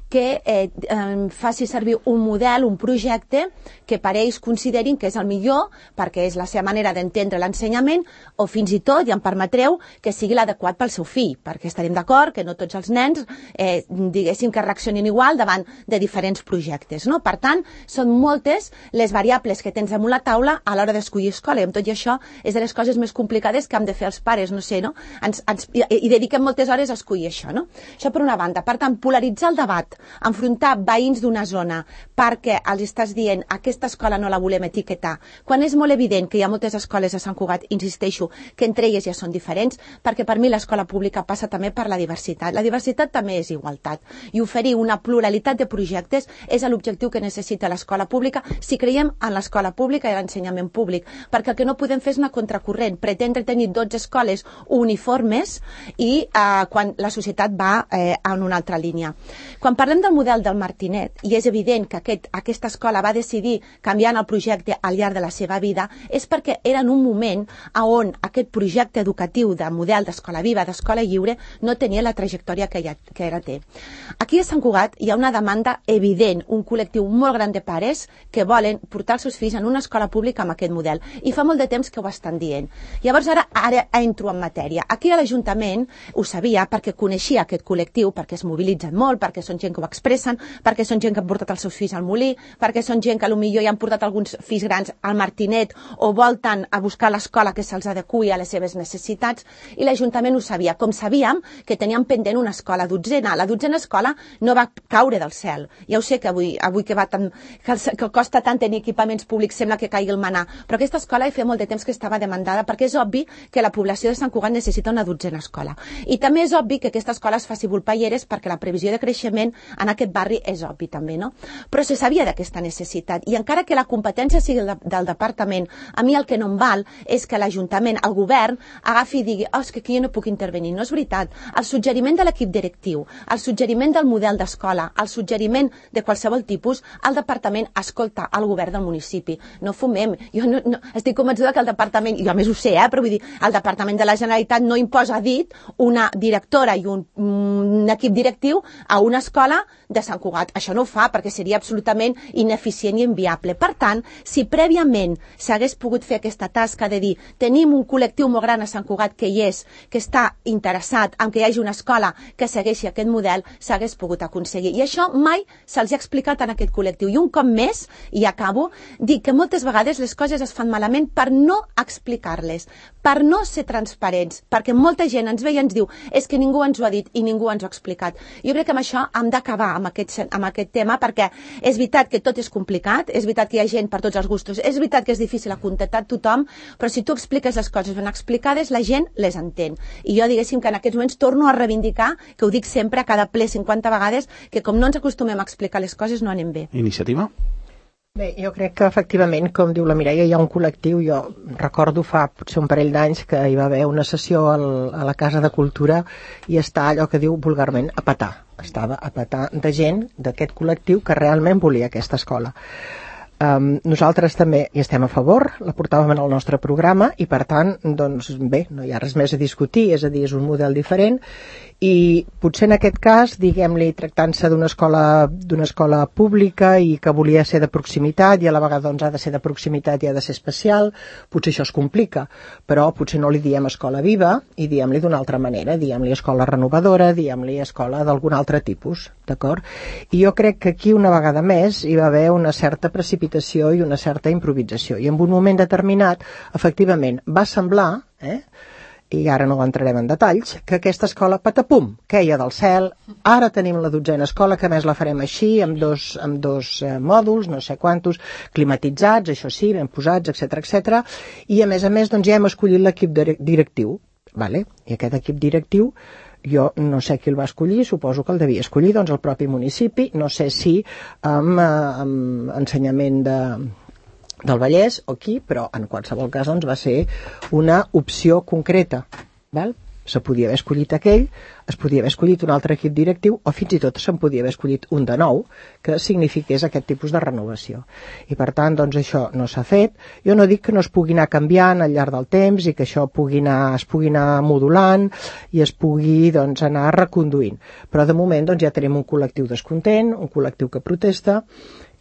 que eh, eh, faci servir un model, un projecte que per ells considerin que és el millor perquè és la seva manera d'entendre l'ensenyament, o fins i tot, ja em permetreu, que sigui l'adequat pel seu fill, perquè estarem d'acord que no tots els nens eh, diguéssim que reaccionin igual davant de diferents projectes, no? Per tant, són moltes les variables que tens damunt la taula a l'hora d'escollir escola, i amb tot i això és de les coses més complicades que hem de fer els pares, no sé, no? Ens, ens, i, i dediquem moltes hores a escollir això, no? Això per una banda. Per tant, polaritzar el debat, enfrontar veïns d'una zona perquè els estàs dient aquesta escola no la volem etiquetar, quan és molt evident que hi ha moltes escoles a Sant Cugat, insisteixo, que entre elles ja són diferents, perquè per mi l'escola pública passa també per la diversitat. La diversitat també és igualtat, i oferir una pluralitat de projectes és l'objectiu que necessita l'escola pública si creiem en l'escola pública i l'ensenyament públic, perquè el que no podem fer és una contracorrent, pretendre tenir dotze escoles uniformes i eh, quan la societat va eh, en una altra línia. Quan parlem parlem del model del Martinet, i és evident que aquest, aquesta escola va decidir canviar el projecte al llarg de la seva vida, és perquè era en un moment on aquest projecte educatiu de model d'escola viva, d'escola lliure, no tenia la trajectòria que, ja, que ara té. Aquí a Sant Cugat hi ha una demanda evident, un col·lectiu molt gran de pares que volen portar els seus fills en una escola pública amb aquest model, i fa molt de temps que ho estan dient. Llavors ara, ara entro en matèria. Aquí a l'Ajuntament ho sabia perquè coneixia aquest col·lectiu, perquè es mobilitzen molt, perquè són gent que ho expressen, perquè són gent que han portat els seus fills al molí, perquè són gent que potser ja han portat alguns fills grans al Martinet o volten a buscar l'escola que se'ls adequi a les seves necessitats, i l'Ajuntament ho sabia, com sabíem que teníem pendent una escola dotzena. La dotzena escola no va caure del cel. Ja ho sé que avui, avui que, va tan, que, que costa tant tenir equipaments públics sembla que caigui el manà, però aquesta escola hi feia molt de temps que estava demandada, perquè és obvi que la població de Sant Cugat necessita una dotzena escola. I també és obvi que aquesta escola es faci volpalleres perquè la previsió de creixement en aquest barri és obvi també, no? Però se sabia d'aquesta necessitat, i encara que la competència sigui del, del departament, a mi el que no em val és que l'Ajuntament, el govern, agafi i digui, oh, és que aquí jo no puc intervenir. No és veritat. El suggeriment de l'equip directiu, el suggeriment del model d'escola, el suggeriment de qualsevol tipus, el departament escolta el govern del municipi. No fumem. Jo no, no, estic convençuda que el departament, jo a més ho sé, eh, però vull dir, el departament de la Generalitat no imposa a dit una directora i un, un equip directiu a una escola de Sant Cugat. Això no ho fa perquè seria absolutament ineficient i inviable. Per tant, si prèviament s'hagués pogut fer aquesta tasca de dir tenim un col·lectiu molt gran a Sant Cugat que hi és, que està interessat en que hi hagi una escola que segueixi aquest model, s'hagués pogut aconseguir. I això mai se'ls ha explicat en aquest col·lectiu. I un cop més, i acabo, dic que moltes vegades les coses es fan malament per no explicar-les, per no ser transparents, perquè molta gent ens ve i ens diu és que ningú ens ho ha dit i ningú ens ho ha explicat. Jo crec que amb això hem d'acabar amb aquest, amb aquest tema, perquè és veritat que tot és complicat, és veritat que hi ha gent per tots els gustos, és veritat que és difícil acontentar tothom, però si tu expliques les coses ben explicades, la gent les entén. I jo diguéssim que en aquests moments torno a reivindicar, que ho dic sempre a cada ple cinquanta vegades, que com no ens acostumem a explicar les coses no anem bé. Iniciativa? Bé, jo crec que efectivament, com diu la Mireia, hi ha un col·lectiu. Jo recordo fa potser un parell d'anys que hi va haver una sessió al, a la Casa de Cultura i està allò que diu vulgarment a petar. Estava a petar de gent d'aquest col·lectiu que realment volia aquesta escola. Um, nosaltres també hi estem a favor, la portàvem en el nostre programa i per tant, doncs bé, no hi ha res més a discutir, és a dir, és un model diferent i potser en aquest cas, diguem-li, tractant-se d'una escola, d'una escola pública i que volia ser de proximitat i a la vegada doncs, ha de ser de proximitat i ha de ser especial, potser això es complica, però potser no li diem escola viva i diem-li d'una altra manera, diem-li escola renovadora, diem-li escola d'algun altre tipus, d'acord? I jo crec que aquí una vegada més hi va haver una certa precipitació i una certa improvisació i en un moment determinat, efectivament, va semblar, eh, i ara no entrarem en detalls, que aquesta escola, patapum, queia del cel, ara tenim la dotzena escola, que a més la farem així, amb dos, amb dos eh, mòduls, no sé quantos, climatitzats, això sí, ben posats, etcètera, etcètera, i a més a més doncs, ja hem escollit l'equip directiu, vale? I aquest equip directiu, jo no sé qui el va escollir, suposo que el devia escollir doncs, el propi municipi, no sé si amb, amb ensenyament de... del Vallès o aquí, però en qualsevol cas doncs, va ser una opció concreta. Val? Se podia haver escollit aquell, es podia haver escollit un altre equip directiu o fins i tot se'n podia haver escollit un de nou que signifiqués aquest tipus de renovació. I per tant, doncs això no s'ha fet. Jo no dic que no es pugui anar canviant al llarg del temps i que això pugui anar, es pugui anar modulant i es pugui doncs, anar reconduint. Però de moment doncs, ja tenim un col·lectiu descontent, un col·lectiu que protesta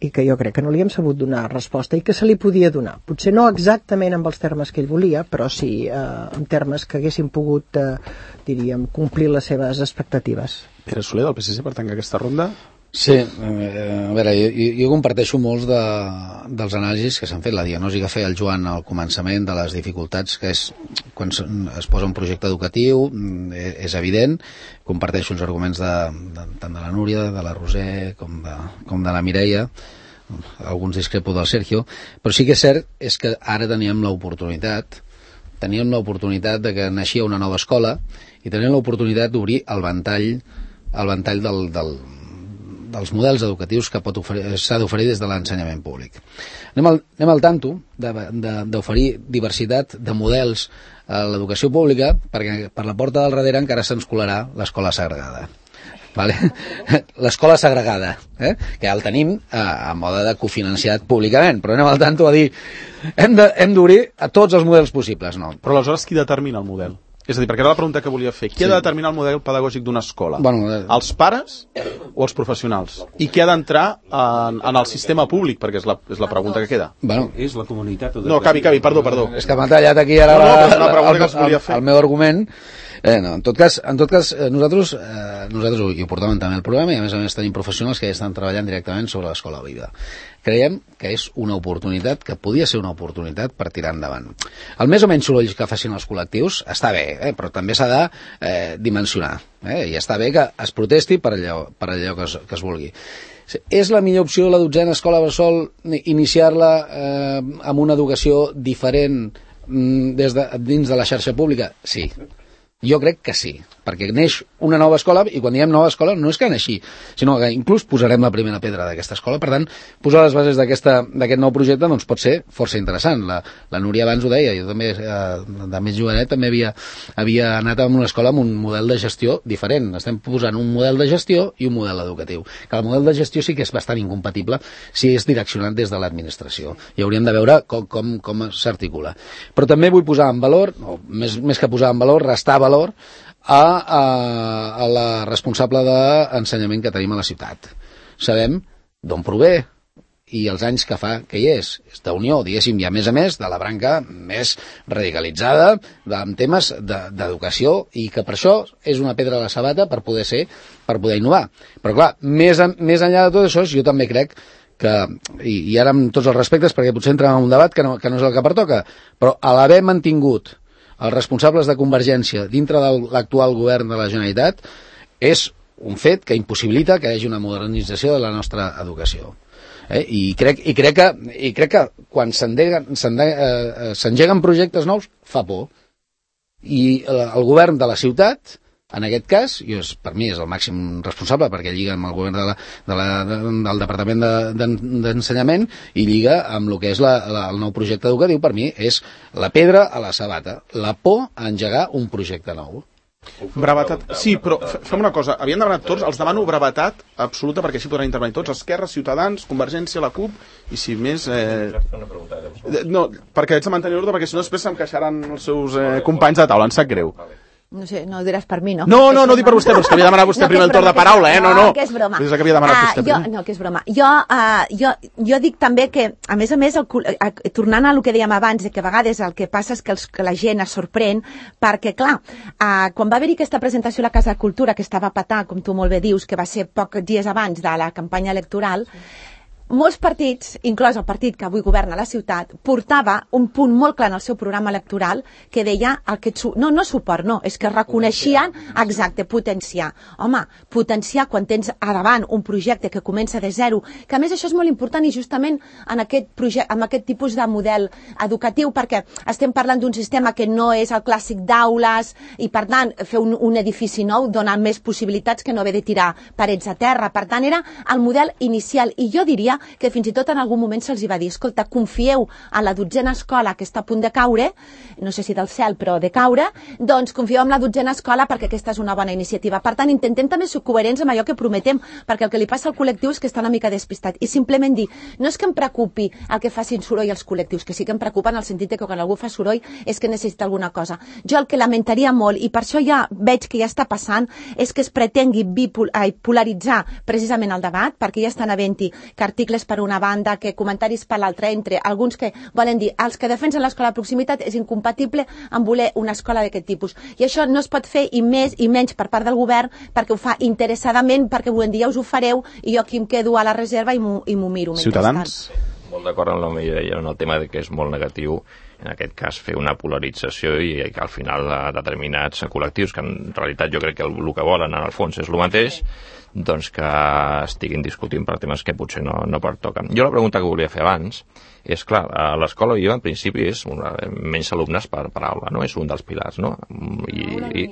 i que jo crec que no li hem sabut donar resposta i que se li podia donar. Potser no exactament amb els termes que ell volia, però sí eh, en termes que haguessin pogut, eh, diríem, complir les seves expectatives. Pere Soler, del P S C, per tancar aquesta ronda. Sí, a veure, jo, jo comparteixo molts de, dels anàlisis que s'han fet, la diagnosi que feia el Joan al començament de les dificultats, que és quan es posa un projecte educatiu, és evident, comparteixo els arguments de, de, tant de la Núria, de la Roser, com de, com de la Mireia, alguns discrepo del Sergio, però sí que és cert és que ara teníem l'oportunitat, teníem l'oportunitat de que naixia una nova escola i teníem l'oportunitat d'obrir el ventall, el ventall del, del dels models educatius que pot s'ha d'oferir des de l'ensenyament públic. Anem al, anem al tanto d'oferir diversitat de models a l'educació pública perquè per la porta del darrere encara se'ns colarà l'escola segregada. vale? L'escola segregada, eh? que ja el tenim a, a mode de cofinanciat públicament, però anem al tanto a dir hem d'obrir a tots els models possibles. No. Però aleshores qui determina el model? És a dir, perquè era la pregunta que volia fer. Qui sí. ha de determinar el model pedagògic d'una escola? Bueno, eh... Els pares o els professionals? I qui ha d'entrar en, en el sistema públic? Perquè és la, és la pregunta que queda. Bueno. És la comunitat... No, cavi, cavi, perdó, perdó. És que m'ha tallat aquí ara no, no, la, la, el, el, el, el meu argument. Eh, no, en tot cas, en tot cas nosaltres, eh, nosaltres ho, ho portàvem també al programa i a més a més tenim professionals que ja estan treballant directament sobre l'escola viva. Creiem que és una oportunitat, que podia ser una oportunitat per tirar endavant. El més o menys soroll que facin els col·lectius està bé, eh, però també s'ha de eh, dimensionar. Eh, I està bé que es protesti per allò, per allò que, es, que es vulgui. És la millor opció la dotzena escola bressol iniciar-la eh, amb una educació diferent mm, des de, dins de la xarxa pública? Sí. Jo crec que sí, perquè neix una nova escola, i quan diem nova escola no és que neixi, sinó que inclús posarem la primera pedra d'aquesta escola. Per tant, posar les bases d'aquest nou projecte doncs, pot ser força interessant. La, la Núria abans ho deia, jo també, eh, de més jovenet, també havia, havia anat a una escola amb un model de gestió diferent. Estem posant un model de gestió i un model educatiu. Que el model de gestió sí que és bastant incompatible si és direccionat des de l'administració. I hauríem de veure com, com, com s'articula. Però també vull posar en valor, o més, més que posar en valor, restar valor A, a, a la responsable d'ensenyament que tenim a la ciutat. Sabem d'on prové i els anys que fa que hi és. És d'unió, diguéssim, i a més a més de la branca més radicalitzada amb temes d'educació i que per això és una pedra a la sabata per poder ser, per poder innovar. Però clar, més, a, més enllà de tot això, jo també crec que, i, i ara amb tots els respectes perquè potser entrem en un debat que no, que no és el que pertoca, però a l'haver mantingut els responsables de Convergència dintre de l'actual govern de la Generalitat és un fet que impossibilita que hi hagi una modernització de la nostra educació. Eh? I, crec, i, crec que, I crec que quan s'engeguen projectes nous fa por. I el govern de la ciutat, en aquest cas, i és, per mi és el màxim responsable perquè lliga amb el govern de la, de la, de, del Departament d'Ensenyament de, i lliga amb el que és la, la, el nou projecte educatiu, per mi és la pedra a la sabata, la por a engegar un projecte nou. Brevetat, sí, però fem una cosa, havien demanat tots, els demano brevetat absoluta perquè així podran intervenir tots, Esquerra, Ciutadans, Convergència, la CUP, i si més... Eh... No, perquè haig de mantenir l'ordre perquè si no després se'm queixaran els seus eh, companys de taula, em sap greu. No sé, no ho diràs per mi, no? No, no, no ho dic per vostè, però és que havia demanat vostè no, primer el torn de paraula, eh? No, no. No, que és broma. És que havia demanat uh, vostè jo, no, que és broma. Jo, uh, jo, jo dic també que, a més a més, el, uh, tornant a el que dèiem abans, que a vegades el que passa és que, els, que la gent es sorprèn, perquè, clar, uh, quan va haver-hi aquesta presentació a la Casa de Cultura, que estava a petar, com tu molt bé dius, que va ser pocs dies abans de la campanya electoral, molts partits, inclòs el partit que avui governa la ciutat, portava un punt molt clar en el seu programa electoral que deia el que... No, no suport, no, és que reconeixien, exacte, potenciar. Home, potenciar quan tens a davant un projecte que comença de zero, que a més això és molt important i justament en aquest, projecte, en aquest tipus de model educatiu, perquè estem parlant d'un sistema que no és el clàssic d'aules i, per tant, fer un, un edifici nou dona més possibilitats que no haver de tirar parets a terra. Per tant, era el model inicial i jo diria que fins i tot en algun moment se'ls va dir, escolta, confieu en la dotzena escola que està a punt de caure, no sé si del cel, però de caure, doncs confieu en la dotzena escola perquè aquesta és una bona iniciativa. Per tant, intentem també ser coherents amb allò que prometem, perquè el que li passa al col·lectiu és que està una mica despistat. I simplement dir, no és que em preocupi el que facin soroll els col·lectius, que sí que em preocupa en el sentit que quan algú fa soroll és que necessita alguna cosa. Jo el que lamentaria molt, i per això ja veig que ja està passant, és que es pretengui bipolaritzar precisament el debat, perquè ja estan havent-hi que articles per una banda, que comentaris per l'altra, entre alguns que volen dir els que defensen l'escola de proximitat és incompatible amb voler una escola d'aquest tipus. I això no es pot fer i més i menys per part del govern perquè ho fa interessadament, perquè volem dir ja us ho fareu i jo aquí em quedo a la reserva i m'ho miro. Ciutadans? Molt d'acord amb el que deia en el tema de que és molt negatiu en aquest cas fer una polarització i que al final determinats col·lectius que en realitat jo crec que el, el que volen en el fons és el mateix doncs que estiguin discutint per temes que potser no, no pertoquen. Jo la pregunta que volia fer abans és, clar, a l'escola jo en principi és una, menys alumnes per, per aula, no? És un dels pilars, no? I, i,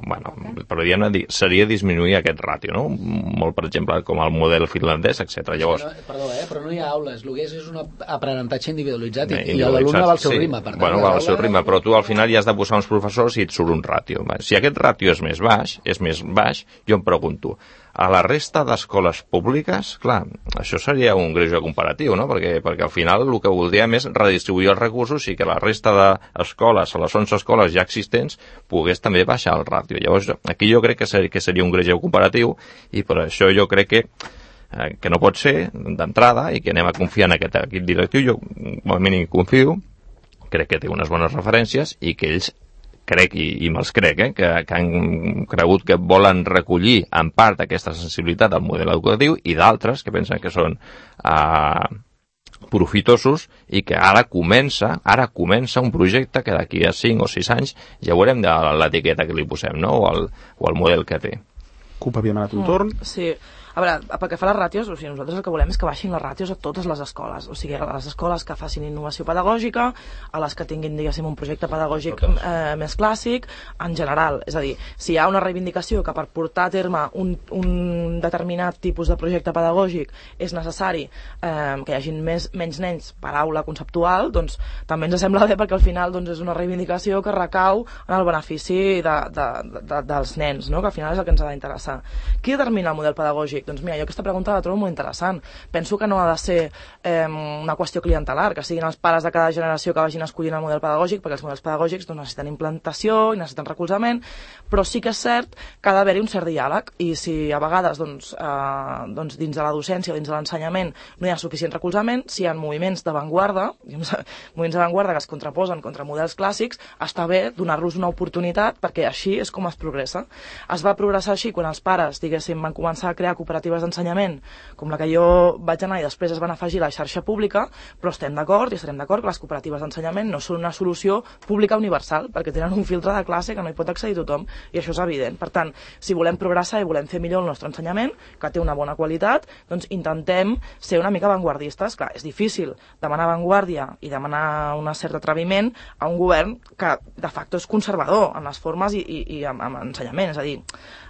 bueno, però diguem, seria disminuir aquest ràtio, no? Molt, per exemple, com el model finlandès, etcètera. Llavors... No, perdó, eh? Però no hi ha aules, el que és és un aprenentatge individualitzat i, i l'alumne va al seu sí. ritme. Per tant, bueno, va al seu ritme, però tu al final hi has de posar uns professors i et surt un ràtio. Si aquest ràtio és més baix, és més baix, jo em pregunto, a la resta d'escoles públiques, clar, això seria un greuge comparatiu, no? Perquè, perquè al final el que voldríem és redistribuir els recursos i que la resta d'escoles, a les onze escoles ja existents, pogués també baixar el ràtio. Llavors, aquí jo crec que seria, que seria un greuge comparatiu i per això jo crec que eh, que no pot ser d'entrada i que anem a confiar en aquest equip directiu. Jo, com a mínim, confio, crec que té unes bones referències i que ells crec, i, i me'ls crec, eh, que, que han cregut que volen recollir en part aquesta sensibilitat al model educatiu i d'altres que pensen que són eh, profitosos i que ara comença ara comença un projecte que d'aquí a cinc o sis anys ja veurem de l'etiqueta que li posem, no? o, el, o el model que té. CUP havia demanat un torn. Mm, sí. A veure, pel que fa a les ràtios, o sigui, nosaltres el que volem és que baixin les ràtios a totes les escoles, o sigui, a les escoles que facin innovació pedagògica, a les que tinguin, diguéssim, un projecte pedagògic eh, més clàssic, en general. És a dir, si hi ha una reivindicació que per portar a terme un, un determinat tipus de projecte pedagògic és necessari eh, que hi hagin més, menys nens per aula conceptual, doncs també ens sembla bé perquè al final doncs, és una reivindicació que recau en el benefici de, de, de, dels nens, no? Que al final és el que ens ha d'interessar. Qui determina el model pedagògic? Doncs mira, jo aquesta pregunta la trobo molt interessant. Penso que no ha de ser eh, una qüestió clientelar, que siguin els pares de cada generació que vagin escollint el model pedagògic, perquè els models pedagògics doncs, necessiten implantació i necessiten recolzament, però sí que és cert que ha d'haver-hi un cert diàleg, i si a vegades doncs, eh, doncs, dins de la docència o dins de l'ensenyament no hi ha suficient recolzament, si hi ha moviments d'avantguarda, moviments d'avantguarda que es contraposen contra models clàssics, està bé donar-los una oportunitat, perquè així és com es progressa. Es va progressar així quan els pares, diguéssim, van començar a crear cooperatives d'ensenyament, com la que jo vaig anar i després es van afegir a la xarxa pública, però estem d'acord i estarem d'acord que les cooperatives d'ensenyament no són una solució pública universal, perquè tenen un filtre de classe que no hi pot accedir tothom, i això és evident. Per tant, si volem progressar i volem fer millor el nostre ensenyament, que té una bona qualitat, doncs intentem ser una mica avantguardistes. Clar, és difícil demanar avantguàrdia i demanar un cert atreviment a un govern que de facto és conservador en les formes i, i, i amb, amb ensenyament, és a dir,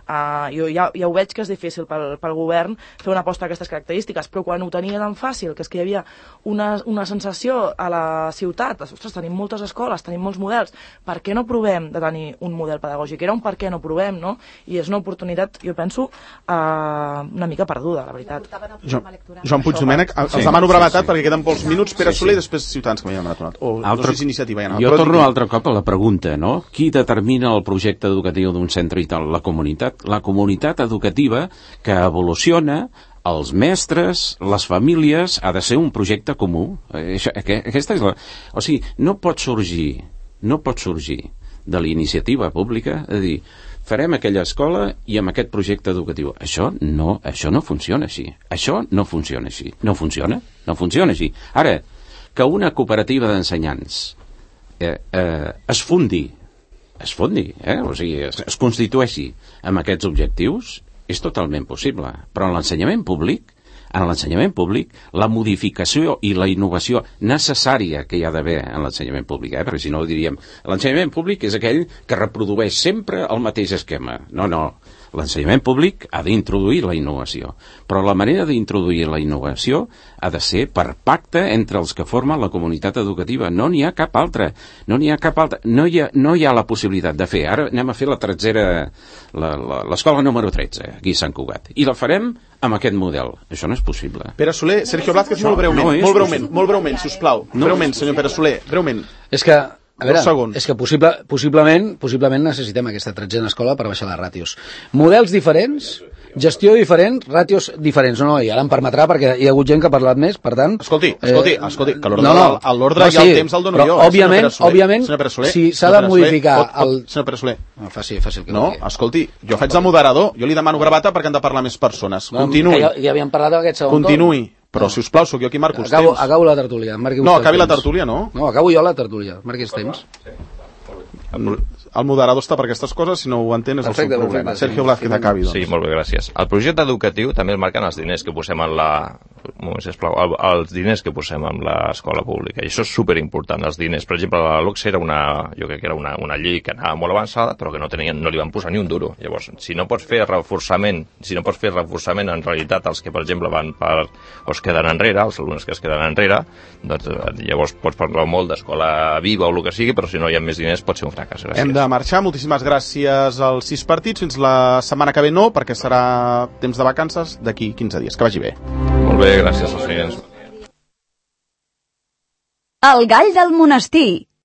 Uh, jo ja, ja ho veig que és difícil pel, pel govern fer una aposta d'aquestes característiques, però quan ho tenia tan fàcil, que és que hi havia una, una sensació a la ciutat, ostres, tenim moltes escoles, tenim molts models, per què no provem de tenir un model pedagògic? Era un per què no provem, no? I és una oportunitat, jo penso, uh, una mica perduda, la veritat. Jo, Joan Puig Domènech, els sí, demano brevetat sí, sí. perquè queden pocs minuts. Pere sí, sí. Soler i després Ciutadans, que m'hi ha demanat. O altre, no sé si iniciativa hi ha anat. Jo torno altre cop a la pregunta, no? Qui determina el projecte educatiu d'un centre i tal? La comunitat. La comunitat educativa que evoluciona, els mestres, les famílies, ha de ser un projecte comú. Aquesta és la... O sigui, no pot sorgir, no pot sorgir de la iniciativa pública, és a dir, farem aquella escola i amb aquest projecte educatiu. Això no, això no funciona així. Això no funciona així. No funciona, no funciona així. Ara, que una cooperativa d'ensenyants eh, eh, es fundi es fondi, eh? O sigui, es, es constitueixi amb aquests objectius, és totalment possible. Però en l'ensenyament públic, en l'ensenyament públic, la modificació i la innovació necessària que hi ha d'haver en l'ensenyament públic, eh? Perquè si no diríem, l'ensenyament públic és aquell que reprodueix sempre el mateix esquema. No, no. L'ensenyament públic ha d'introduir la innovació, però la manera d'introduir la innovació ha de ser per pacte entre els que formen la comunitat educativa. No n'hi ha cap altra. No n'hi ha cap altra. No hi ha, no hi ha la possibilitat de fer. Ara anem a fer la tretzera, l'escola número tretze, aquí a Sant Cugat. I la farem amb aquest model. Això no és possible. Pere Soler, Sergio Blázquez, molt breument, no molt breument, molt breument, sisplau. No breument, senyor Pere Soler, breument. És que A veure, és que possible, possiblement, possiblement necessitem aquesta tretzena escola per baixar les ràtios. Models diferents, gestió diferent, ràtios diferents. No, no, i ara em permetrà perquè hi ha hagut gent que ha parlat més, per tant... Escolti, escolti, eh, escolti que l'ordre no, no, no, i el temps el dono jo. Òbviament, òbviament, si s'ha de modificar... El... Senyor Pere Soler. No, faci, faci el que no, escolti, jo faig de moderador, jo li demano brevata perquè han de parlar més persones. Continuï. Ja, ja havíem parlat d'aquest segon Continuï. Però, si us plau, sóc jo qui marco els acabo, temps. Acabo la tertúlia. No, acabi la tertúlia, no? No, acabo jo la tertúlia. Marqui els temps. El moderador està per aquestes coses, si no ho entén és perfecte, el seu problema. Perfecte, Sergio Blázquez, acabi, doncs. Sí, molt bé, gràcies. El projecte educatiu també el marquen els diners que posem en la... Un moment, sisplau, el, els diners que posem en l'escola pública, i això és superimportant, els diners. Per exemple, la LOCSE era una, jo crec que era una, una llei que anava molt avançada, però que no, tenien, no li van posar ni un duro. Llavors, si no pots fer reforçament, si no pots fer reforçament en realitat els que, per exemple, van per, o es queden enrere, els alumnes que es queden enrere, doncs llavors pots parlar molt d'escola viva o el que sigui, però si no hi ha més diners pot ser un fracàs. Gràcies. Hem de marxar. Moltíssimes gràcies als sis partits. Fins la setmana que ve no, perquè serà temps de vacances d'aquí quinze dies. Que vagi bé. Molt bé, gràcies als clients. El gall del monestir,